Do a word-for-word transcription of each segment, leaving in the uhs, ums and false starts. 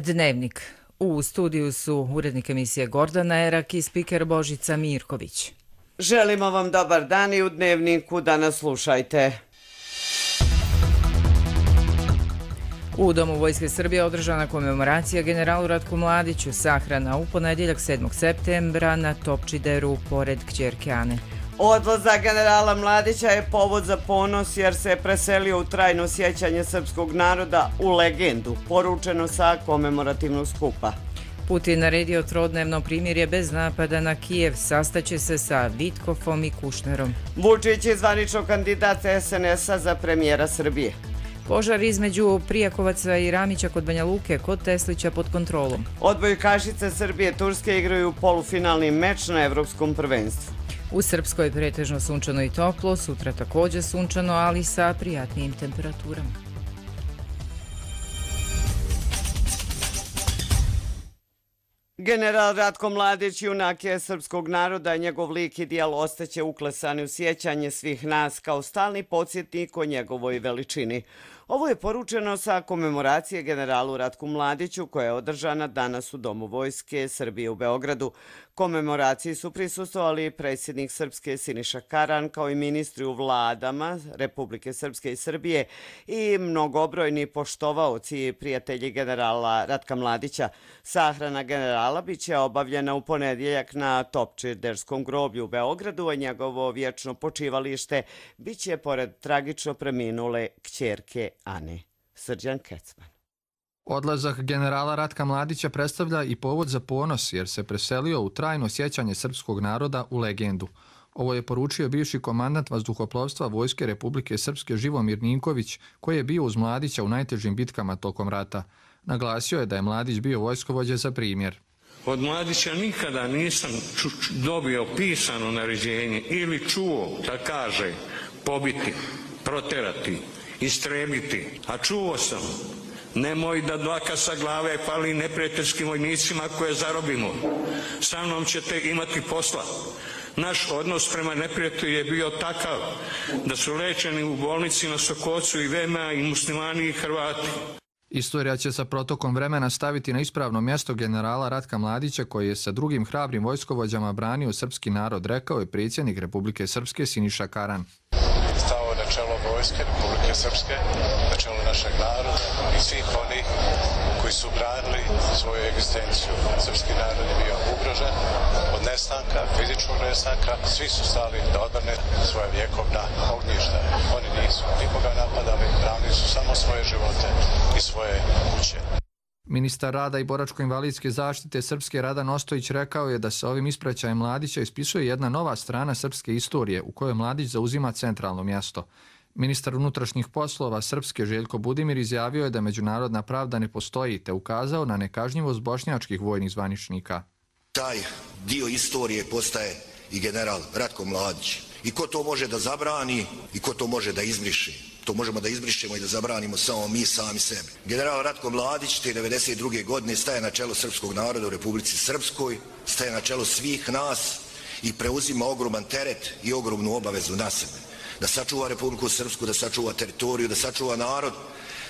Dnevnik. U studiju su urednik emisije Gordana Erak i spiker Božica Mirković. Želimo vam dobar dan i u Dnevniku da nas slušajte. U Domu Vojske Srbije održana komemoracija generalu Ratku Mladiću, sahrana u ponedjeljak sedmog septembra na Topčideru pored kćerke Ane. Odlazak generala Mladića je povod za ponos jer se preselio u trajno sjećanje srpskog naroda u legendu, poručeno sa komemorativnog skupa. Putin naredio trodnevno primirje bez napada na Kijev, sastaće se sa Vitkofom i Kušnerom. Vučić je zvanično kandidat es en es-a za premijera Srbije. Požar između Prijakovaca i Ramića kod Banja Luke kod Teslića pod kontrolom. Odbojkašice Srbije i Turske igraju polufinalni meč na evropskom prvenstvu. U Srpskoj pretežno sunčano i toplo, sutra također sunčano, ali sa prijatnijim temperaturama. General Ratko Mladić, junak je srpskog naroda, njegov lik i dijelo ostaće uklesani u sjećanje svih nas kao stalni podsjetnik o njegovoj veličini. Ovo je poručeno sa komemoracije generalu Ratku Mladiću koja je održana danas u Domu Vojske Srbije u Beogradu. Komemoraciji su prisustvovali predsjednik Srpske Siniša Karan kao i ministri u vladama Republike Srpske i Srbije i mnogobrojni poštovaoci i prijatelji generala Ratka Mladića. Sahrana generala biće obavljena u ponedjeljak na Topčiderskom groblju u Beogradu, a njegovo vječno počivalište biće pored tragično preminule kćerke Ane. Srđan Kecman. Odlazak generala Ratka Mladića predstavlja i povod za ponos jer se preselio u trajno sjećanje srpskog naroda u legendu. Ovo je poručio bivši komandant vazduhoplovstva Vojske Republike Srpske Živomir Ninković, koji je bio uz Mladića u najtežim bitkama tokom rata. Naglasio je da je Mladić bio vojskovođa za primjer. Od Mladića nikada nisam dobio pisano naređenje ili čuo da kaže pobiti, proterati, istrebiti, a čuo sam: nemoj da dlaka sa glave fali neprijateljskim vojnicima koje zarobimo. Sa mnom ćete imati posla. Naš odnos prema neprijatelju je bio takav da su lečeni u bolnici na Sokocu i V M A i muslimani i Hrvati. Istorija će sa protokom vremena staviti na ispravno mjesto generala Ratka Mladića koji je sa drugim hrabrim vojskovođama branio srpski narod, rekao je predsjednik Republike Srpske Siniša Karan. Stao na čelo Vojske Republike Srpske, na čelo našeg naroda i svih onih koji su branili svoju egzistenciju. Srpski narod je bio ugrožen od nestanka, fizičkog nestanka. Svi su stali da odbrane svoje vjekovna ognjišta. Oni nisu nikoga napadali, branili su samo svoje živote i svoje kuće. Ministar rada i boračko-invalidske zaštite Srpske Radan Ostojić rekao je da se ovim ispraćajem Mladića ispisuje jedna nova strana srpske istorije u kojoj Mladić zauzima centralno mjesto. Ministar unutrašnjih poslova Srpske Željko Budimir izjavio je da međunarodna pravda ne postoji te ukazao na nekažnjivost bošnjačkih vojnih zvaničnika. Taj dio istorije postaje i general Ratko Mladić. I ko to može da zabrani i ko to može da izbriši? To možemo da izbrišemo i da zabranimo samo mi sami sebi. General Ratko Mladić te devedeset druge godine staje na čelo srpskog naroda u Republici Srpskoj, staje na čelo svih nas i preuzima ogroman teret i ogromnu obavezu na sebe. Da sačuva Republiku Srpsku, da sačuva teritoriju, da sačuva narod,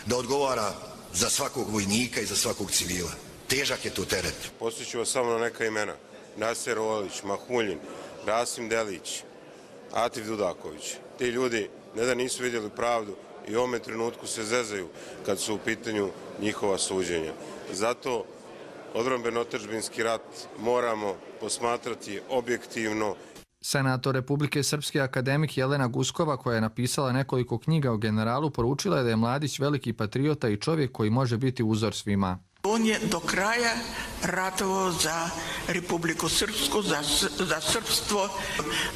da odgovara za svakog vojnika i za svakog civila. Težak je to teret. Postiću vas samo na neka imena. Naser Olić, Mahuljin, Rasim Delić, Atif Dudaković. Ti ljudi ne da nisu vidjeli pravdu i u ovome trenutku se zezaju kad su u pitanju njihova suđenja. Zato odbrambeno-otadžbinski rat moramo posmatrati objektivno. Senator Republike Srpske akademik Jelena Guskova, koja je napisala nekoliko knjiga o generalu, poručila je da je Mladić veliki patriota i čovjek koji može biti uzor svima. On je do kraja ratovao za Republiku Srpsku, za, za srpstvo,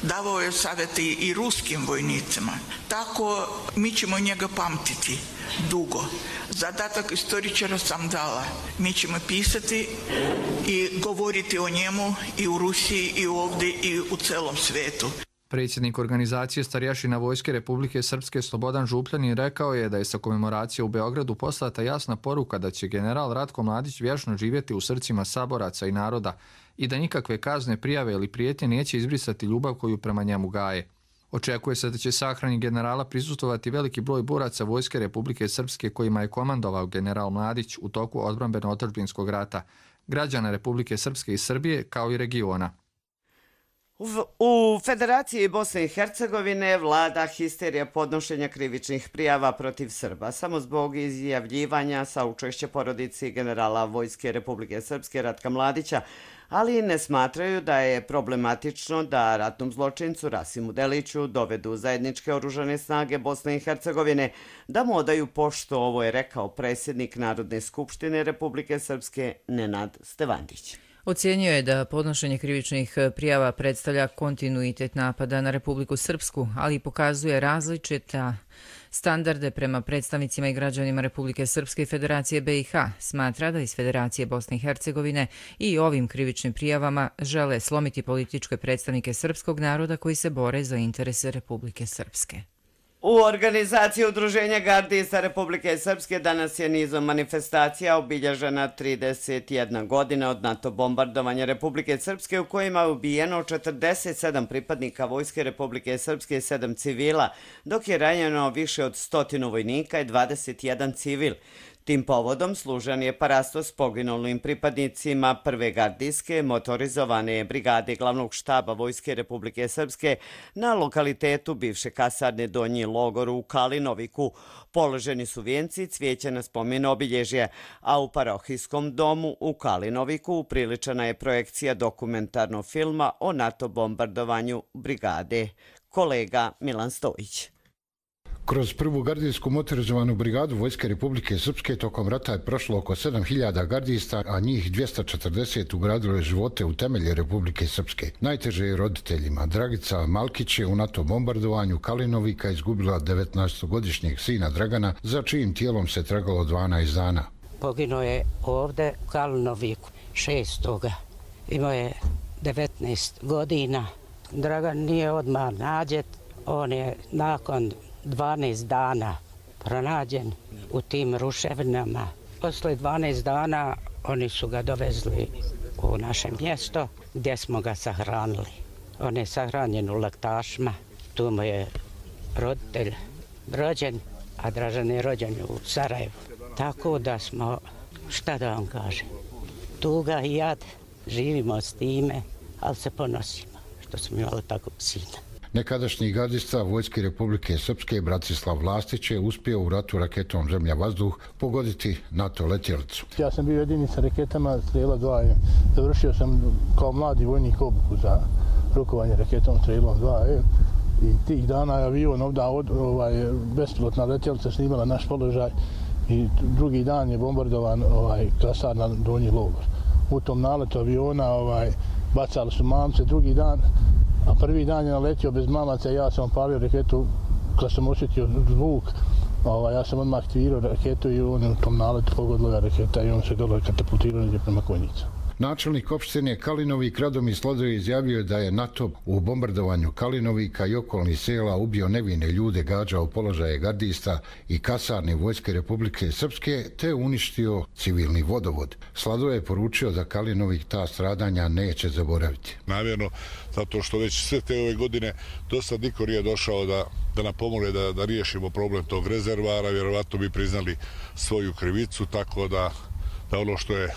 davao je savjeti i ruskim vojnicima. Tako mi ćemo njega pamtiti dugo. Zadatak istoričara sam dala. Mi ćemo pisati i govoriti o njemu i u Rusiji i ovdje i u celom svijetu. Predsjednik organizacije starješina Vojske Republike Srpske Slobodan Župljanin rekao je da je sa komemoracije u Beogradu poslata jasna poruka da će general Ratko Mladić vječno živjeti u srcima saboraca i naroda i da nikakve kazne, prijave ili prijetnje neće izbrisati ljubav koju prema njemu gaje. Očekuje se da će sahrani generala prisustvovati veliki broj boraca Vojske Republike Srpske kojima je komandovao general Mladić u toku odbrambeno-otadžbinskog rata, građana Republike Srpske i Srbije kao i regiona. U Federaciji Bosne i Hercegovine vlada histerija podnošenja krivičnih prijava protiv Srba, samo zbog izjavljivanja saučešća porodici generala Vojske Republike Srpske Ratka Mladića, ali ne smatraju da je problematično da ratnom zločincu Rasimu Deliću dovedu zajedničke oružane snage Bosne i Hercegovine, da mu odaju poštu. Ovo je rekao predsjednik Narodne skupštine Republike Srpske Nenad Stevandić. Ocijenio je da podnošenje krivičnih prijava predstavlja kontinuitet napada na Republiku Srpsku, ali i pokazuje različita standarde prema predstavnicima i građanima Republike Srpske i Federacije B i H. Smatra da iz Federacije Bosne i Hercegovine i ovim krivičnim prijavama žele slomiti političke predstavnike srpskog naroda koji se bore za interese Republike Srpske. U organizaciji Udruženja gardista Republike Srpske danas je nizom manifestacija obilježena trideset jedna godina od NATO bombardovanja Republike Srpske u kojima je ubijeno četrdeset sedam pripadnika Vojske Republike Srpske i sedam civila, dok je ranjeno više od stotinu vojnika i dvadeset jedan civil. Tim povodom služan je parastos poginulim pripadnicima prve gardijske motorizovane brigade glavnog štaba Vojske Republike Srpske na lokalitetu bivše kasarne Donji logor u Kalinoviku. Položeni su vijenci cvijeća na spomen obilježje, a u parohijskom domu u Kalinoviku upriličena je projekcija dokumentarnog filma o NATO bombardovanju brigade. Kolega Milan Stojić. Kroz prvu gardijsku motorizovanu brigadu Vojske Republike Srpske tokom rata je prošlo oko sedam hiljada gardista, a njih dvjesto četrdeset ugradilo je živote u temelje Republike Srpske. Najteže je roditeljima. Dragica Malkić je u NATO bombardovanju Kalinovika izgubila devetnaestogodišnjeg sina Dragana, za čijim tijelom se tragalo dvanaest dana. Poginuo je ovdje u Kalinoviku šestoga Imao je devetnaest godina. Dragan nije odmah nađen, on je nakon dvanaest dana pronađen u tim ruševinama. Posle dvanaest dana oni su ga dovezli u naše mjesto gdje smo ga sahranili. On je sahranjen u Laktašima, tu mu je roditelj rođen, a Dražan je rođen u Sarajevu. Tako da smo, šta da vam kažem, tuga i jad, živimo s time, ali se ponosimo što smo imali takvog sina. Nekadašnji gardista Vojske Republike Srpske Bratislav Vlastić je uspio u ratu raketom Zemlja-vazduh pogoditi NATO letjelicu. Ja sam bio jedini sa raketama Strela dva. Završio sam kao mladi vojnik obuku za rukovanje raketom Strelom dva. I tih dana je avion ovdje ovaj, bespilotna letjelica snimala naš položaj i drugi dan je bombardovan ovaj, kasarna Donji logor. U tom naletu aviona ovaj, bacali su mamce, drugi dan, a prvi dan je naletio bez mamaca, ja sam opalio raketu, kad sam osjetio zvuk, ovaj, ja sam odmah aktivirao raketu i on je u tom naletu pogodila raketa i on se dole katapultirao negdje prema Konjicu. Načelnik opštine Kalinovik Radomir Sladoje izjavio da je NATO u bombardovanju Kalinovika i okolnih sela ubio nevine ljude, gađao položaje gardista i kasarne Vojske Republike Srpske te uništio civilni vodovod. Sladoje je poručio da Kalinovik ta stradanja neće zaboraviti. Namjerno, zato što već sve te ove godine dosta niko nije došao da, da nam pomogne da, da riješimo problem tog rezervara, vjerovatno bi priznali svoju krivicu, tako da, da ono što je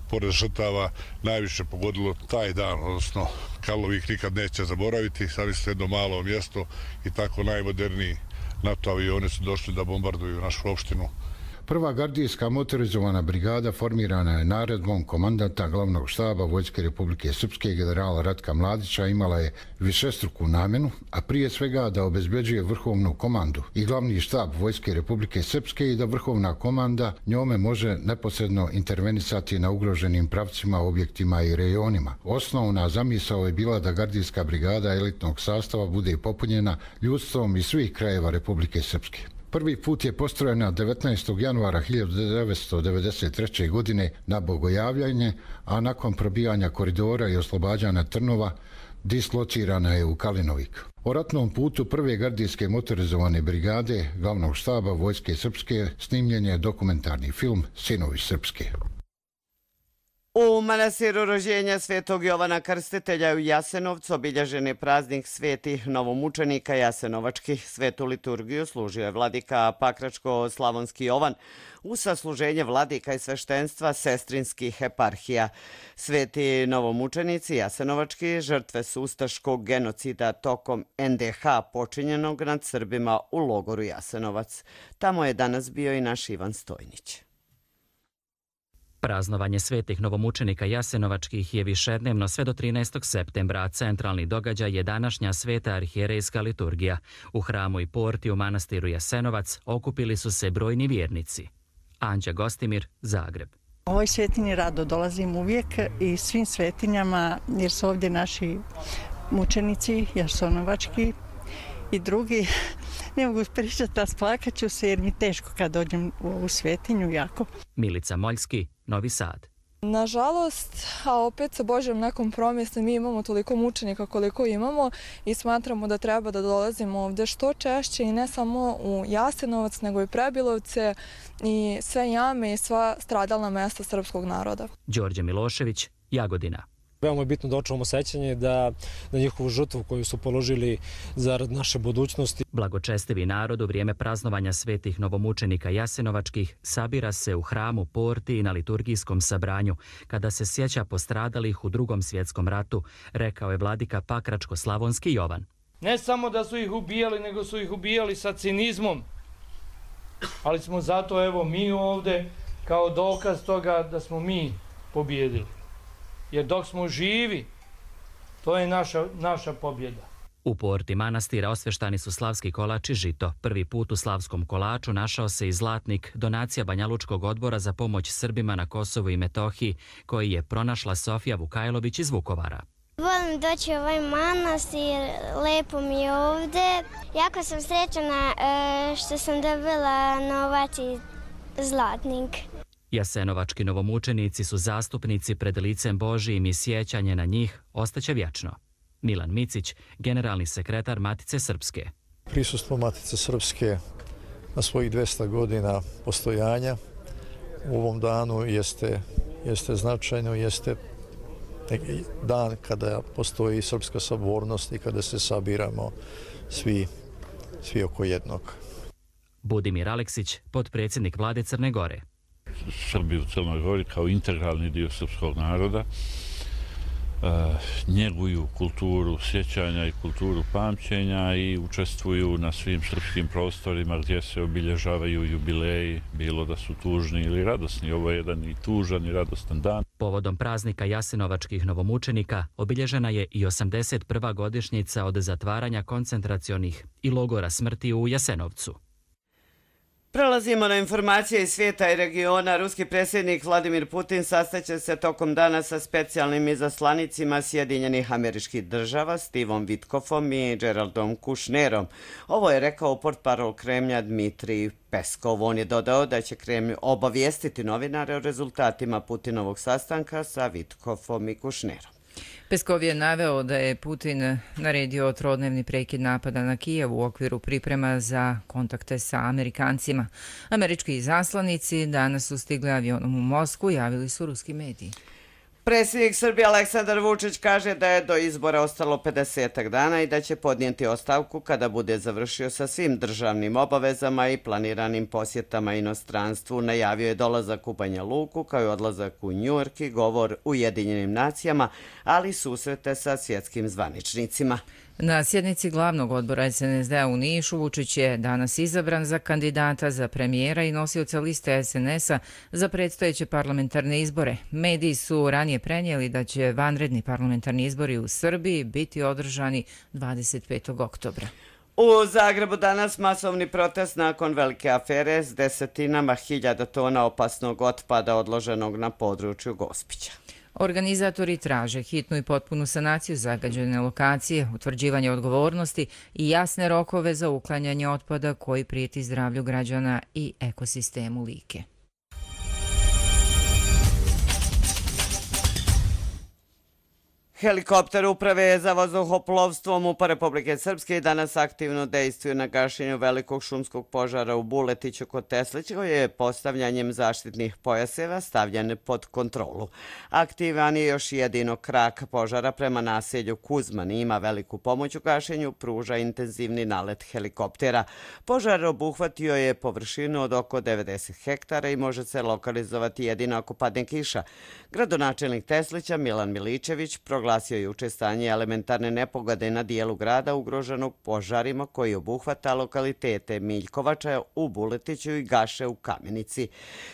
pored žrtava najviše pogodilo taj dan, odnosno Kalinovik nikad neće zaboraviti, sami su jedno malo mjesto i tako najmoderniji NATO avioni su došli da bombarduju našu opštinu. Prva gardijska motorizovana brigada formirana je naredbom komandanta glavnog štaba Vojske Republike Srpske generala Ratka Mladića, imala je višestruku namjenu, a prije svega da obezbeđuje vrhovnu komandu i glavni štab Vojske Republike Srpske i da vrhovna komanda njome može neposredno intervenisati na ugroženim pravcima, objektima i rejonima. Osnovna zamisao je bila da gardijska brigada elitnog sastava bude popunjena ljudstvom iz svih krajeva Republike Srpske. Prvi put je postrojena devetnaestog januara hiljadu devetsto devedeset treće. godine na Bogojavljanje, a nakon probijanja koridora i oslobađanja Trnova dislocirana je u Kalinovik. O ratnom putu prve gardijske motorizovane brigade glavnog štaba Vojske Srpske snimljen je dokumentarni film Sinovi Srpske. U manastiru rođenja Svetog Jovana Krstitelja u Jasenovcu obilježen je praznik svetih novomučenika jasenovačkih. Svetu liturgiju služio je vladika Pakračko-slavonski Jovan u sasluženje vladika i sveštenstva sestrinskih eparhija. Sveti novomučenici jasenovački žrtve su ustaškog genocida tokom en de ha počinjenog nad Srbima u logoru Jasenovac. Tamo je danas bio i naš Ivan Stojnić. Praznovanje svetih novomučenika jasenovačkih je višednevno sve do trinaestog septembra, a centralni događaj je današnja sveta arhijerejska liturgija. U hramu i porti u manastiru Jasenovac okupili su se brojni vjernici. Anđa Gostimir, Zagreb. U ovoj svetinji rado dolazim uvijek i svim svetinjama, jer su ovdje naši mučenici jasenovački i drugi. Ne mogu pričati, a splakat ću se jer mi teško kad dođem u ovu svetinju jako. Milica Moljski, Novi Sad. Nažalost, a opet sa Božjom nekom promjestom mi imamo toliko mučenika koliko imamo i smatramo da treba da dolazimo ovdje što češće i ne samo u Jasenovac, nego i Prebilovce i sve jame i sva stradalna mesta srpskog naroda. Đorđe Milošević, Jagodina. Veoma je bitno da očuvamo sećanje da na njihovu žrtvu koju su položili zarad naše budućnosti. Blagočestivi narod u vrijeme praznovanja svetih novomučenika jasenovačkih sabira se u hramu, porti i na liturgijskom sabranju kada se sjeća postradalih u Drugom svjetskom ratu, rekao je vladika Pakračko-slavonski Jovan. Ne samo da su ih ubijali, nego su ih ubijali sa cinizmom, ali smo zato evo mi ovdje kao dokaz toga da smo mi pobijedili. Jer dok smo živi, to je naša, naša pobjeda. U porti manastira osveštani su slavski kolač i žito. Prvi put u slavskom kolaču našao se i zlatnik, donacija Banjalučkog odbora za pomoć Srbima na Kosovu i Metohiji, koji je pronašla Sofija Vukajlović iz Vukovara. Volim doći u ovaj manastir, lepo mi je ovdje. Jako sam srećna što sam dobila novac i zlatnik. Jasenovački novomučenici su zastupnici pred licem Božijim i sjećanje na njih ostaće vječno. Milan Micić, generalni sekretar Matice Srpske. Prisustvo Matice Srpske na svojih dvesta godina postojanja u ovom danu jeste, jeste značajno, jeste dan kada postoji srpska sabornost i kada se sabiramo svi, svi oko jednog. Budimir Aleksić, potpredsjednik vlade Crne Gore. Srbi u Crnoj Gori kao integralni dio srpskog naroda njeguju kulturu sjećanja i kulturu pamćenja i učestvuju na svim srpskim prostorima gdje se obilježavaju jubileji, bilo da su tužni ili radosni. Ovo je jedan i tužan i radostan dan. Povodom praznika jasenovačkih novomučenika obilježena je i osamdeset prva godišnjica od zatvaranja koncentracionih i logora smrti u Jasenovcu. Prelazimo na informacije iz svijeta i regiona. Ruski predsjednik Vladimir Putin sastaće se tokom dana sa specijalnim izaslanicima Sjedinjenih Američkih Država, Stevom Vitkofom i Geraldom Kushnerom. Ovo je rekao portparol Kremlja Dmitrij Peskov. On je dodao da će Kremlj obavijestiti novinare o rezultatima Putinovog sastanka sa Vitkofom i Kushnerom. Peskov je naveo da je Putin naredio trodnevni prekid napada na Kijev u okviru priprema za kontakte sa Amerikancima. Američki izaslanici danas su stigli avionom u Moskvu, javili su ruski mediji. Predsjednik Srbije Aleksandar Vučić kaže da je do izbora ostalo pedesetak dana i da će podnijeti ostavku kada bude završio sa svim državnim obavezama i planiranim posjetama inostranstvu. Najavio je dolazak u Banja Luku kao i odlazak u Njujork i govor u Ujedinjenim nacijama, ali susrete sa svjetskim zvaničnicima. Na sjednici glavnog odbora es en es de a u Nišu Vučić je danas izabran za kandidata za premijera i nosioca liste es en es a za predstojeće parlamentarne izbore. Mediji su ranije prenijeli da će vanredni parlamentarni izbori u Srbiji biti održani dvadeset petog oktobra. U Zagrebu danas masovni protest nakon velike afere s desetinama hiljada tona opasnog otpada odloženog na području Gospića. Organizatori traže hitnu i potpunu sanaciju zagađene lokacije, utvrđivanje odgovornosti i jasne rokove za uklanjanje otpada koji prijeti zdravlju građana i ekosistemu Like. Helikopter uprave za vazduhoplovstvo MUP-a Republike Srpske danas aktivno dejstvuju na gašenju velikog šumskog požara u Buletiću kod Teslića, koji je postavljanjem zaštitnih pojaseva stavljen pod kontrolu. Aktivan je još jedino krak požara prema naselju Kuzman i ima veliku pomoć u gašenju, pruža intenzivni nalet helikoptera. Požar obuhvatio je površinu od oko devedeset hektara i može se lokalizovati jedino ako padne kiša. Gradonačelnik Teslića Milan Miličević proglasio juče stanje elementarne nepogode na dijelu grada ugroženog požarima koji obuhvata lokalitete Miljkovača u Buletiću i Gaše u Kamenici.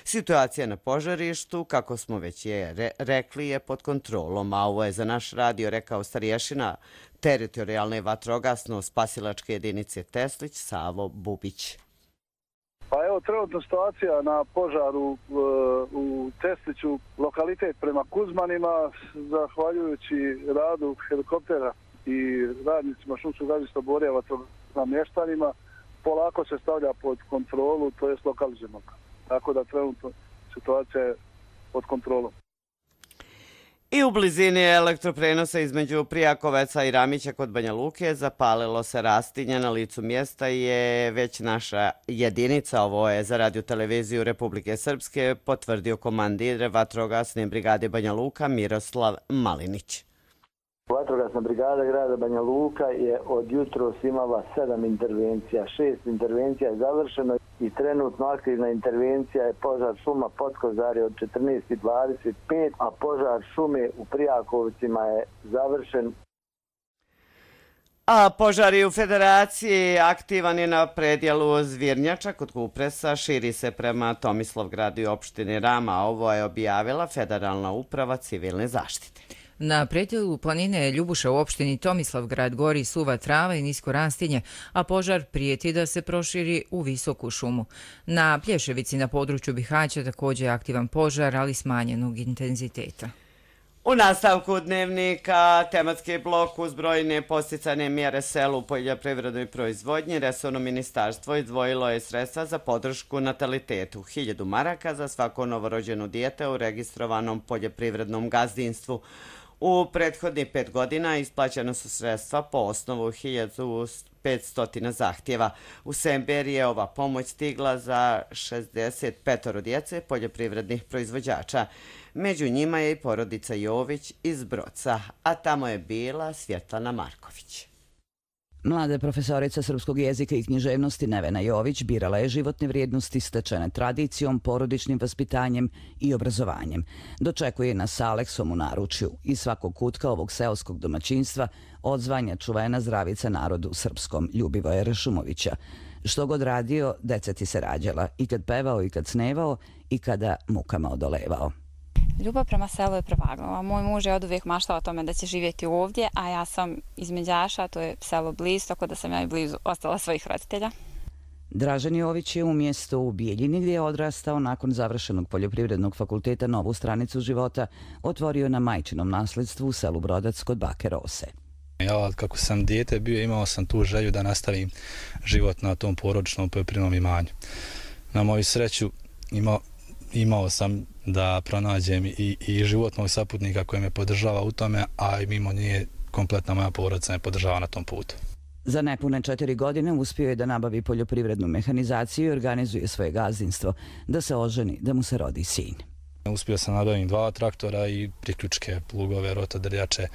Situacija na požarištu, kako smo već je re rekli, je pod kontrolom, a ovo je za naš radio rekao starješina teritorijalne vatrogasno-spasilačke jedinice Teslić Savo Bubić. Pa evo, trenutna situacija na požaru u Tesliću, lokalitet prema Kuzmanima, zahvaljujući radu helikoptera i radnicima šumskog gazdinstva Borjeva vatrogasnim mještanima, polako se stavlja pod kontrolu, to je lokalizirano. Tako da trenutno situacija je pod kontrolom. I u blizini elektroprenosa između Prijakoveca i Ramića kod Banja Luke zapalilo se rastinje. Na licu mjesta je već naša jedinica, ovo je za radio televiziju Republike Srpske, potvrdio komandir vatrogasne brigade Banja Luka Miroslav Malinić. Vatrogasna brigada grada Banja Luka je od jutros imala sedam intervencija, šest intervencija je završeno i trenutno aktivna intervencija je požar šuma Potkozari od četrnaest i dvadeset pet, a požar šume u Prijakovcima je završen. A požar u Federaciji aktivan je na predjelu Zvirnjača kod Kupresa, širi se prema Tomislavgradu i opštini Rama. Ovo je objavila Federalna uprava civilne zaštite. Na predjelu planine Ljubuša u opštini Tomislavgrad gori suva trava i nisko rastinje, a požar prijeti da se proširi u visoku šumu. Na Plješevici na području Bihaća također je aktivan požar, ali smanjenog intenziteta. U nastavku dnevnika tematski blok uz brojne posticane mjere selu u poljoprivrednoj proizvodnji. Resorno ministarstvo izdvojilo je sredstva za podršku natalitetu. Hiljadu maraka za svako novorođeno dijete u registrovanom poljoprivrednom gazdinstvu. U prethodnih pet godina isplaćena su sredstva po osnovu hiljadu petsto zahtjeva. U Sember je ova pomoć stigla za šezdeset pet djece poljoprivrednih proizvođača. Među njima je i porodica Jović iz Broca, a tamo je bila Svjetlana Marković. Mlada profesorica srpskog jezika i književnosti Nevena Jović birala je životne vrijednosti stečene tradicijom, porodičnim vaspitanjem i obrazovanjem. Dočekuje nas sa Aleksom u naručju i svakog kutka ovog seoskog domaćinstva odzvanja čuvena zdravica narodu srpskom Ljubivoja Rešumovića. Što god radio, deca ti se rađala, i kad pevao i kad snevao i kada mukama odolevao. Ljubav prema selu je prevagnula. Moj muž je od uvijek maštao o tome da će živjeti ovdje, a ja sam iz Međaša, to je selo blizu, tako da sam ja i blizu ostala svojih roditelja. Dražen Jović je u mjestu u Bijeljini, gdje je odrastao nakon završenog poljoprivrednog fakulteta novu stranicu života, otvorio na majčinom nasledstvu u selu Brodac kod bake Rose. Ja, kako sam dijete bio, imao sam tu želju da nastavim život na tom porodičnom poljoprivrednom imanju. Na moju sreću imao imao sam da pronađem i, i životnog saputnika koji me podržava u tome, a i mimo nje kompletna moja porodica me podržava na tom putu. Za nepune četiri godine uspio je da nabavi poljoprivrednu mehanizaciju i organizuje svoje gazdinstvo, da se oženi, da mu se rodi sin. Uspio sam nabaviti dva traktora i priključke, plugove, rotodrljače.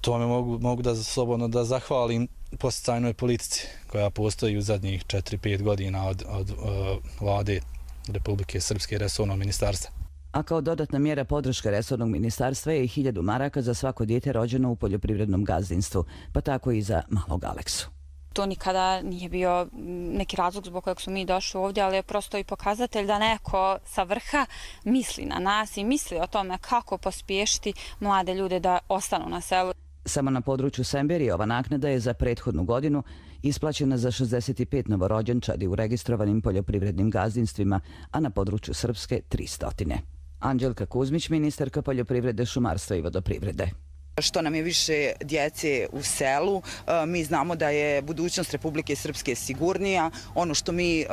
To me mogu, mogu da slobodno da zahvalim podsticajnoj politici koja postoji u zadnjih četiri pet godina od, od uh, vlade Republike Srpske resornog ministarstva. A kao dodatna mjera podrške resornog ministarstva je i hiljadu maraka za svako dijete rođeno u poljoprivrednom gazdinstvu, pa tako i za malog Aleksu. To nikada nije bio neki razlog zbog kojeg su mi došli ovdje, ali je prosto i pokazatelj da neko sa vrha misli na nas i misli o tome kako pospješiti mlade ljude da ostanu na selu. Samo na području Semberije ova naknada je za prethodnu godinu isplaćena za šezdeset pet novorođenčadi u registrovanim poljoprivrednim gazdinstvima, a na području Srpske tristo. Anđelka Kuzmić, ministarka poljoprivrede, šumarstva i vodoprivrede. Što nam je više djece u selu, mi znamo da je budućnost Republike Srpske sigurnija. Ono što mi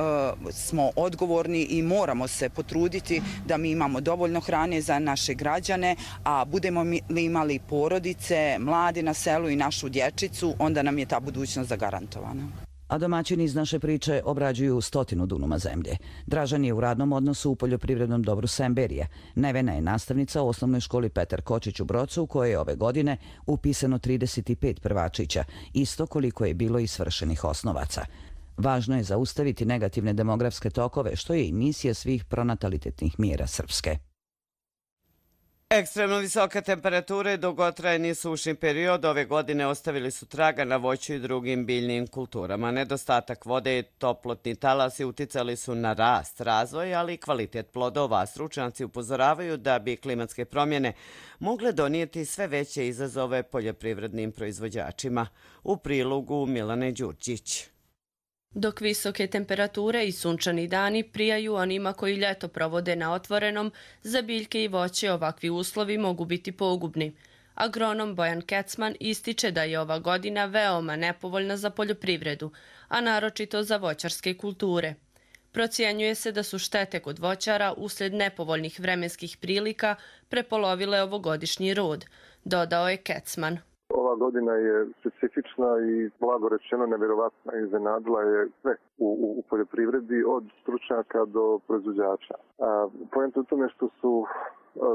smo odgovorni i moramo se potruditi da mi imamo dovoljno hrane za naše građane, a budemo li imali porodice, mladi na selu i našu dječicu, onda nam je ta budućnost zagarantovana. A domaćini iz naše priče obrađuju stotinu dunuma zemlje. Dražan je u radnom odnosu u poljoprivrednom dobru Semberije. Nevena je nastavnica u osnovnoj školi Petar Kočić u Brocu, u kojoj je ove godine upisano trideset pet prvačića, isto koliko je bilo i svršenih osnovaca. Važno je zaustaviti negativne demografske tokove, što je i misija svih pronatalitetnih mjera Srpske. Ekstremno visoke temperature i dugotrajni sušni period ove godine ostavili su traga na voću i drugim biljnim kulturama. Nedostatak vode i toplotni talasi uticali su na rast, razvoj, ali i kvalitet plodova. Stručnjaci upozoravaju da bi klimatske promjene mogle donijeti sve veće izazove poljoprivrednim proizvođačima. U prilogu Milane Đurđić. Dok visoke temperature i sunčani dani prijaju onima koji ljeto provode na otvorenom, za biljke i voće ovakvi uslovi mogu biti pogubni. Agronom Bojan Kecman ističe da je ova godina veoma nepovoljna za poljoprivredu, a naročito za voćarske kulture. Procjenjuje se da su štete kod voćara uslijed nepovoljnih vremenskih prilika prepolovile ovogodišnji rod, dodao je Kecman. Ova godina je specifična i blago rečeno nevjerovatna. Iznenadila je sve u, u, u poljoprivredi od stručnjaka do proizvođača. Poenta u tome što su a,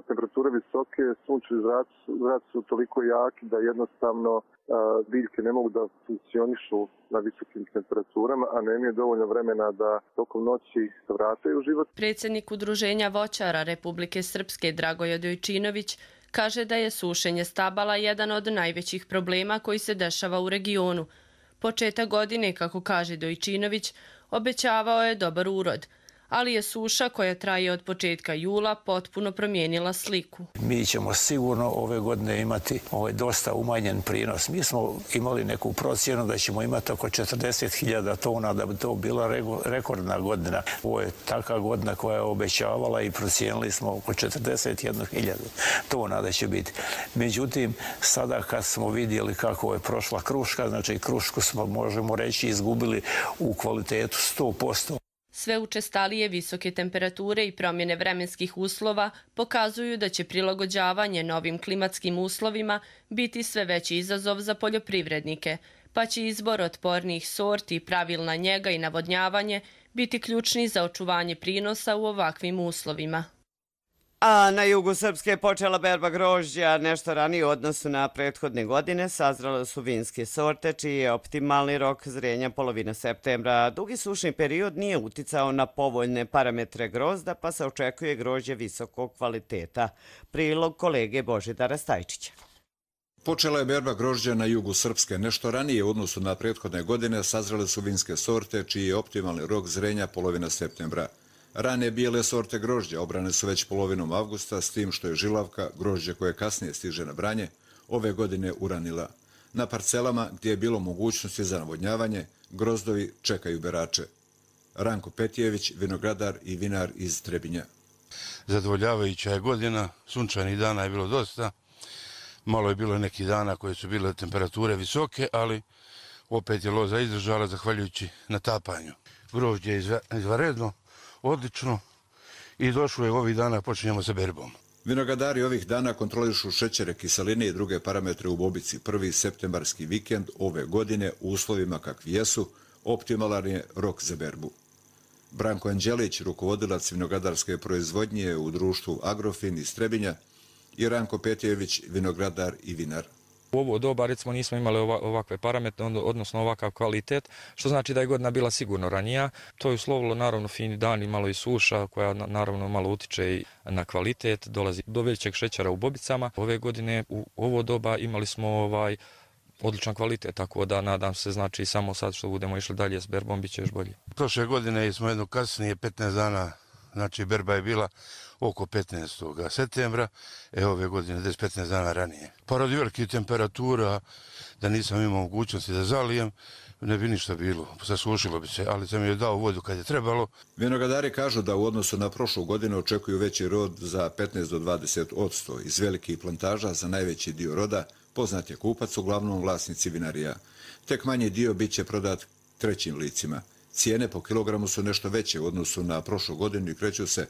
temperature visoke, sunčevi zraci, zraci su toliko jaki da jednostavno a, biljke ne mogu da funkcionišu na visokim temperaturama, a nemaju dovoljno vremena da tokom noći se vrataju u život. Predsjednik Udruženja voćara Republike Srpske Dragoje Dojčinović kaže da je sušenje stabala jedan od najvećih problema koji se dešava u regionu. Početak godine, kako kaže Dojčinović, obećavao je dobar urod, ali je suša koja traje od početka jula potpuno promijenila sliku. Mi ćemo sigurno ove godine imati ovaj dosta umanjen prinos. Mi smo imali neku procjenu da ćemo imati oko četrdeset hiljada tona, da bi to bila rekordna godina. Ovo je taka godina koja je obećavala i procijenili smo oko četrdeset jednu hiljadu tona da će biti. Međutim, sada kad smo vidjeli kako je prošla kruška, znači krušku smo, možemo reći, izgubili u kvalitetu sto posto. Sve učestalije visoke temperature i promjene vremenskih uslova pokazuju da će prilagođavanje novim klimatskim uslovima biti sve veći izazov za poljoprivrednike, pa će izbor otpornijih sorti, pravilna njega i navodnjavanje biti ključni za očuvanje prinosa u ovakvim uslovima. A na jugu Srpske je počela berba grožđa nešto ranije u odnosu na prethodne godine. Sazrale su vinske sorte, čiji je optimalni rok zrenja polovina septembra. Dugi sušni period nije uticao na povoljne parametre grozda, pa se očekuje grožđe visokog kvaliteta. Prilog kolege Božidara Stajčića. Počela je berba grožđa na jugu Srpske. Nešto ranije u odnosu na prethodne godine sazrale su vinske sorte, čiji je optimalni rok zrenja polovina septembra. Rane bijele sorte grožđa obrane su već polovinom avgusta, s tim što je žilavka, grožđe koje kasnije stiže na branje, ove godine uranila. Na parcelama gdje je bilo mogućnosti za navodnjavanje, grozdovi čekaju berače. Ranko Petijević, vinogradar i vinar iz Trebinja. Zadovoljavajuća je godina, sunčanih dana je bilo dosta. Malo je bilo nekih dana koje su bile temperature visoke, ali opet je loza izdržala zahvaljujući natapanju. Grožđe je izvanredno, odlično i došlo je ovih dana, počinjemo sa berbom. Vinogradari ovih dana kontrolišu šećere, kiseline i druge parametre u bobici. Prvi septembarski vikend ove godine u uslovima kakvi jesu, optimalan je rok za berbu. Branko Anđelić, rukovodilac vinogradarske proizvodnje u društvu Agrofin iz Trebinja, i Ranko Petijević, vinogradar i vinar. U ovo doba, recimo, nismo imali ovakve parametre, odnosno ovakav kvalitet, što znači da je godina bila sigurno ranija. To je uslovilo, naravno, fini dani, malo i suša, koja naravno malo utiče i na kvalitet, dolazi do većeg šećera u bobicama. Ove godine u ovo doba imali smo ovaj odličan kvalitet, tako da nadam se, znači, samo sad što budemo išli dalje s berbom, bit će još bolje. Prošle godine smo jedno kasnije petnaest dana Znači, berba je bila oko petnaestog septembra, e ove godine deset do petnaest dana ranije. Pa radi velikih temperatura, da nisam imao mogućnosti da zalijem, ne bi ništa bilo, sasušilo bi se, ali sam joj dao vodu kad je trebalo. Vinogradari kažu da u odnosu na prošlu godinu očekuju veći rod za petnaest do dvadeset posto. Iz velikih plantaža za najveći dio roda poznat je kupac, uglavnom vlasnici vinarija. Tek manji dio bit će prodat trećim licima. Cijene po kilogramu su nešto veće u odnosu na prošlu godinu i kreću se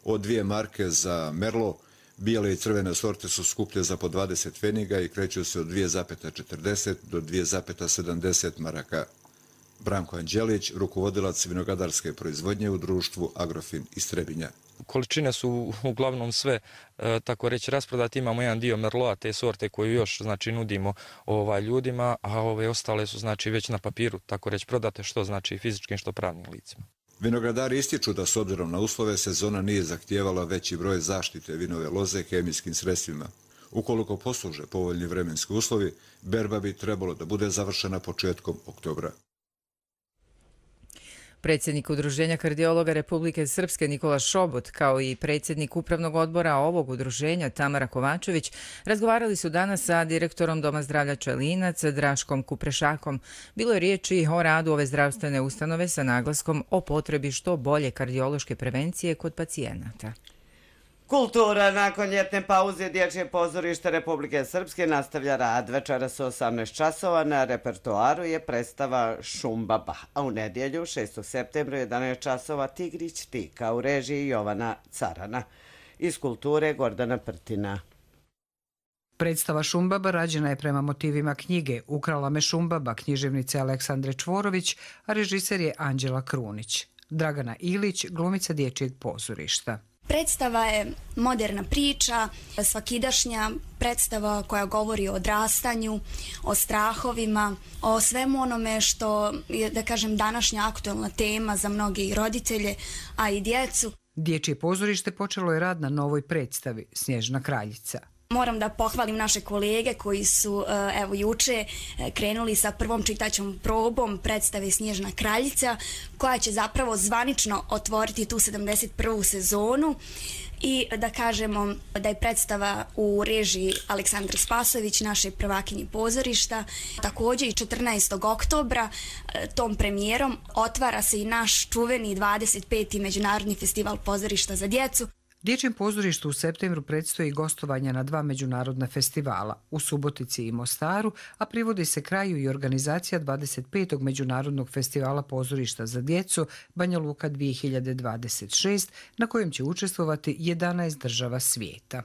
od dvije marke za Merlot. Bijele i crvene sorte su skuplje za po dvadeset pfeniga i kreću se od dvije zarez četrdeset do dvije zarez sedamdeset maraka. Branko Anđelić, rukovodilac vinogradarske proizvodnje u društvu Agrofin iz Trebinja. Količine su uglavnom sve, e, tako reći, rasprodati. Imamo jedan dio Merlota, te sorte koju još, znači, nudimo ovaj, ljudima, a ove ostale su, znači, već na papiru, tako reći, prodate, što znači fizičkim, što pravnim licima. Vinogradari ističu da s obzirom na uslove sezona nije zahtijevala veći broj zaštite vinove loze hemijskim sredstvima. Ukoliko posluže povoljni vremenski uslovi, berba bi trebalo da bude završena početkom oktobra. Predsjednik Udruženja kardiologa Republike Srpske Nikola Šobot, kao i predsjednik upravnog odbora ovog udruženja Tamara Kovačević, razgovarali su danas sa direktorom Doma zdravlja Čelinac Draškom Kuprešakom. Bilo je riječi o radu ove zdravstvene ustanove sa naglaskom o potrebi što bolje kardiološke prevencije kod pacijenata. Kultura nakon ljetne pauze Dječje pozorište Republike Srpske nastavlja rad. Večeras u osamnaest časova na repertoaru je predstava Šumbaba, a u nedjelju šestog septembra u jedanaest časova Tigrić Tika u režiji Jovana Carana. Iz kulture Gordana Prtina. Predstava Šumbaba rađena je prema motivima knjige Ukrala me Šumbaba književnice Aleksandre Čvorović, a režiser je Anđela Krunić. Dragana Ilić, glumica Dječjeg pozorišta. Predstava je moderna priča, svakidašnja predstava koja govori o odrastanju, o strahovima, o svemu onome što je, da kažem, današnja aktualna tema za mnoge roditelje, a i djecu. Dječje pozorište počelo je rad na novoj predstavi Snježna kraljica. Moram da pohvalim naše kolege koji su evo juče krenuli sa prvom čitaćom probom predstave Snježna kraljica, koja će zapravo zvanično otvoriti tu sedamdeset prvu sezonu i da kažemo da je predstava u režiji Aleksandre Spasović, naše prvakinje pozorišta. Također i četrnaestog oktobra tom premijerom otvara se i naš čuveni dvadeset peti Međunarodni festival pozorišta za djecu. Dječjem pozorištu u septembru predstoji gostovanja na dva međunarodna festivala, u Subotici i Mostaru, a privodi se kraju i organizacija dvadeset petog Međunarodnog festivala pozorišta za djecu Banja Luka dvije hiljade dvadeset šest, na kojem će učestvovati jedanaest država svijeta.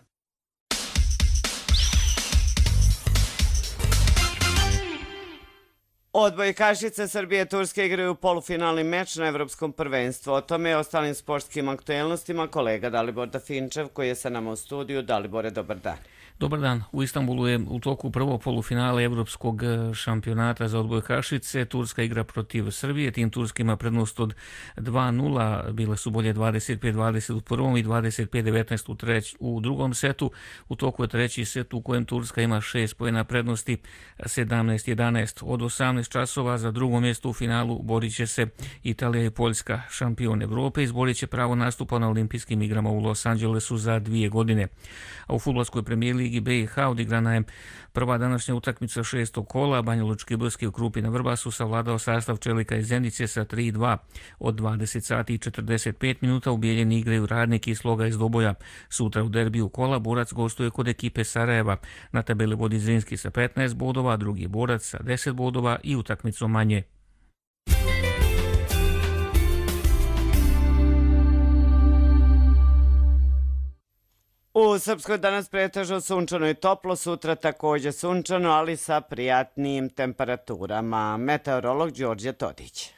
Odbojkašice Srbije i Turske igraju polufinalni meč na Evropskom prvenstvu. O tome i ostalim sportskim aktuelnostima kolega Dalibor Dafinčev, koji je sa nama u studiju. Dalibore, dobar dan. Dobar dan. U Istanbulu je u toku prvo polufinale Evropskog šampionata za odbojkašice. Turska igra protiv Srbije. Tim Turski ima prednost od dva nula. Bile su bolje dvadeset pet dvadeset u prvom i dvadeset pet devetnaest u, treć, u drugom setu. U toku je treći set u kojem Turska ima šest poena prednosti, sedamnaest jedanaest. Od osamnaest časova za drugo mjesto u finalu borit će se Italija i Poljska. Šampion Evrope izborit će pravo nastupa na olimpijskim igrama u Los Angelesu za dvije godine. A u fudbalskoj premijer ligi B i H odigrana je prva današnja utakmica šestog kola. Banjalučki Brski u Krupi na Vrbasu savladao sastav Čelika iz Zenice sa tri dva. Od dvadeset sati i četrdeset pet minuta u Bijeljini igraju Radnik i Sloga iz Doboja. Sutra u derbiju kola Borac gostuje kod ekipe Sarajeva. Na tabeli vodi Zrinski sa petnaest bodova, drugi je Borac sa deset bodova i utakmicom manje. U Srpskoj danas pretežno sunčano i toplo, sutra također sunčano, ali sa prijatnijim temperaturama. Meteorolog Đorđe Todić.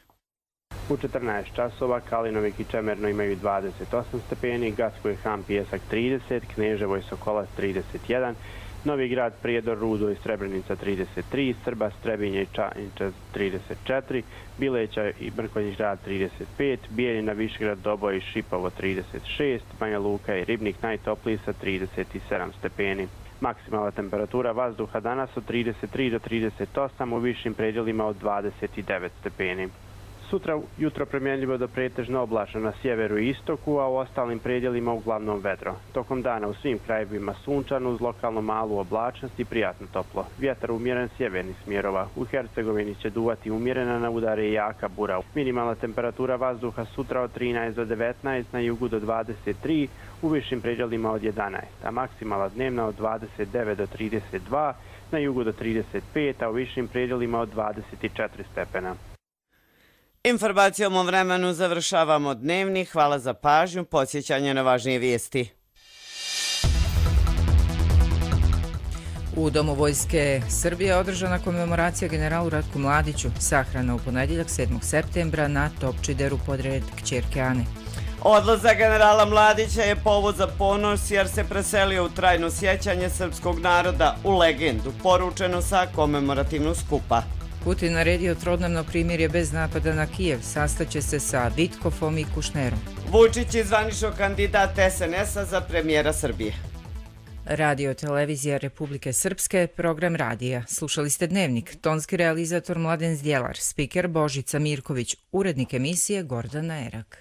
U četrnaest časova Kalinovik i Čemerno imaju dvadeset osam stepeni, Gacko i Han Pijesak trideset, Kneževo i Sokolac trideset jedan, Novi Grad, Prijedor, Rudo i Srebrenica trideset tri, Srba, Strebinje i Čaniče trideset četiri, Bileća i Mrkonjić Grad trideset pet, Bijeljina, Višegrad, Doboj i Šipovo trideset šest, Banja Luka i Ribnik najtopliji sa trideset sedam stepeni. Maksimalna temperatura vazduha danas od trideset tri do trideset osam, u višim predjelima od dvadeset devet stepeni. Sutra jutro promjenljivo do pretežno oblačno na sjeveru i istoku, a u ostalim predjelima uglavnom vedro. Tokom dana u svim krajevima sunčano uz lokalno malu oblačnost i prijatno toplo. Vjetar umjeren sjevernih smjerova. U Hercegovini će duvati umjerena, na udare i jaka bura. Minimalna temperatura vazduha sutra od trinaest do devetnaest, na jugu do dvadeset tri, u višim predjelima od jedanaest, a maksimala dnevna od dvadeset devet do trideset dva, na jugu do trideset pet, a u višim predjelima od dvadeset četiri stepena. Informacijom o vremenu završavamo dnevni. Hvala za pažnju, podsjećanje na važnije vijesti. U Domu Vojske Srbije održana komemoracija generalu Ratku Mladiću, sahrana u ponedjeljak sedmog septembra na Topčideru podred kćerke Ane. Odlazak generala Mladića je povod za ponos jer se preselio u trajno sjećanje srpskog naroda, u legendu, poručeno sa komemorativnog skupa. Putin naredio trodnevno primirje bez napada na Kijev, sastaće se sa Vitkofom i Kušnerom. Vučić je zvanično kandidat es en es-a za premijera Srbije. Radio Televizija Republike Srpske, program radija. Slušali ste Dnevnik, tonski realizator Mladen Zdjelar, spiker Božica Mirković, urednik emisije Gordana Erak.